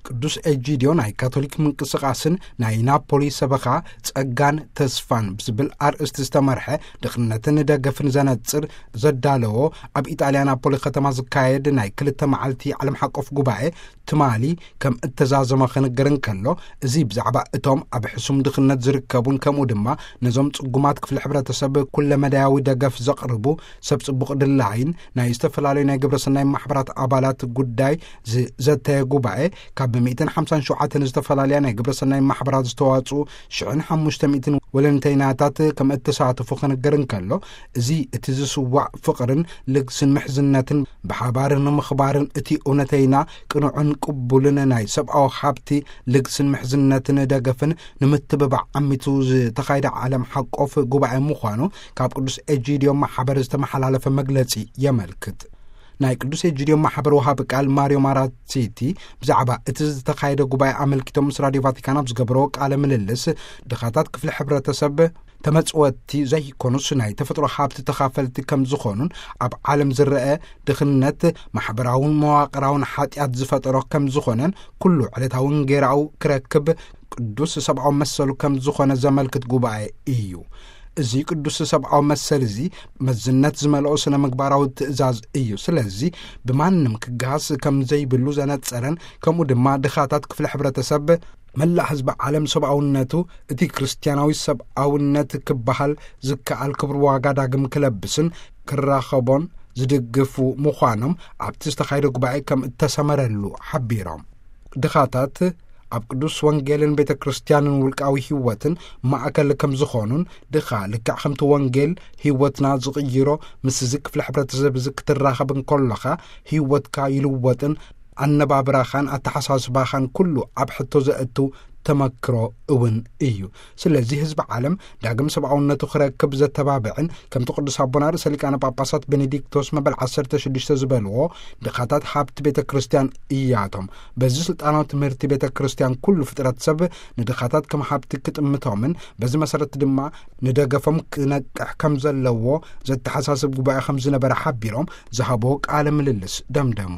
ቅዱስ ኤጂዲዮ ናይ ካቶሊክ ምንቅስቃስን ናይ ናፖሊ ሰበኻ ጸጋን ተስፋን ብዝብል ኣርእስቲ ዝተመርሐ ድኽነትን ደገፍን ዘነጽር ዘዳለዎ ኣብ ኢጣልያ ናፖሊ ከተማ ዝካየድ ናይ ክልተ መዓልቲ ዓለም ሓቆፍ ጉባኤ ትማሊ ከም እተዛዘመ ክንገር እንከሎ፣ እዚ ብዛዕባ እቶም ኣብ ሕሱም ድኽነት ዝርከቡን ከምኡ ድማ ነዞም ጽጉማት ክፍሊ ሕብረተሰብ ኩለመዳያዊ ደገፍ ዘቕርቡ ሰብ ጽቡቕ ድላይን ናይ ዝተፈላለዩ ናይ ግብረሰናይ ማሕበራት ኣባላት ጉዳይ ዝዘተየ ጉባኤ፣ ካብ ሚእትን ሓምሳን ሸውዓተን ዝተፈላለያ ናይ ግብረሰናይ ማሕበራት ዝተዋጽኡ ሽሕን ሓሙሽተ ሚእትን ወለንተይናታት ከም እተሳተፉ ክንገር እንከሎ፣ እዚ እቲ ዝስዋዕ ፍቕርን ልግስን ምሕዝነትን ብሓባር ንምኽባርን እቲ እውነተይና ቅኑዕን ቅቡልን ናይ ሰብኣዊ ሃብቲ ልግስን ምሕዝነትን ደገፍን ንምትብባዕ ዓሚቱ ዝተኻየደ ዓለም ሓቆፍ ጉባኤ ምዃኑ ካብ ቅዱስ ኤጂዲዮ ማሕበር ዝተመሓላለፈ መግለጺ የመልክት። ናይ ቅዱስ ኤጂዲዮ ማሕበር ወሃቢ ቃል ማሪዮ ማራሲቲ ብዛዕባ እቲ ዝተኻየደ ጉባኤ ኣመልኪቶም ምስ ራዲዮ ቫቲካን ኣብ ዝገበርዎ ቃለ ምልልስ፣ ድኻታት ክፍሊ ሕብረተሰብ ተመጽወቲ ዘይኮኑስ ናይ ተፈጥሮ ሃብቲ ተኻፈልቲ ከም ዝኾኑን ኣብ ዓለም ዝረአ ድኽነት ማሕበራውን መዋቕራውን ሓጢኣት ዝፈጠሮ ከም ዝኾነን ኩሉ ዕለታውን ጌራኡ ክረክብ ቅዱስ ሰብኣዊ መሰሉ ከም ዝኾነ ዘመልክት ጉባኤ እዩ። እዚ ቅዱስ ሰብኣዊ መሰል እዚ መዝነት ዝመልኦ ስነ ምግባራዊ ትእዛዝ እዩ። ስለዚ ብማንም ክገሃስ ከም ዘይብሉ ዘነጸረን ከምኡ ድማ ድኻታት ክፍሊ ሕብረተሰብ መላእ ህዝቢ ዓለም ሰብኣውነቱ እቲ ክርስትያናዊ ሰብኣውነት ክበሃል ዝከኣል ክብሪ ዋጋ ዳግም ክለብስን ክራኸቦን ዝድግፉ ምዃኖም ኣብቲ ዝተኻየደ ጉባኤ ከም እተሰመረሉ ሓቢሮም። ድኻታት ኣብ ቅዱስ ወንጌልን ቤተ ክርስቲያንን ውልቃዊ ህይወትን ማእከል ከም ዝኾኑን፣ ድኻ ልክዕ ከምቲ ወንጌል ህይወትና ዝቕይሮ ምስዚ ክፍሊ ሕብረተሰብ እዚ ክትራኸብ እንከሎኻ ህይወትካ ይልወጥን ኣነባብራኻን ኣተሓሳስባኻን ኩሉ ኣብ ሕቶ ዘእቱ ተመክሮ እውን እዩ። ስለዚ ህዝቢ ዓለም ዳግም ሰብኣውነቱ ክረክብ ዘተባብዕን ከምቲ ቅዱስ ኣቦና ርእሰ ሊቃነ ጳጳሳት ቤኔዲክቶስ መበል ዓሰርተ ሽዱሽተ ዝበልዎ ድኻታት ሃብቲ ቤተ ክርስቲያን እያቶም። በዚ ስልጣናዊ ትምህርቲ ቤተ ክርስቲያን ኩሉ ፍጥረት ሰብ ንድኻታት ከም ሃብቲ ክጥምቶምን በዚ መሰረት ድማ ንደገፎም ክነቅሕ ከም ዘለዎ ዘተሓሳስብ ጉባኤ ከም ዝነበረ ሓቢሮም ዝሃብዎ ቃለ ምልልስ ደምደሙ።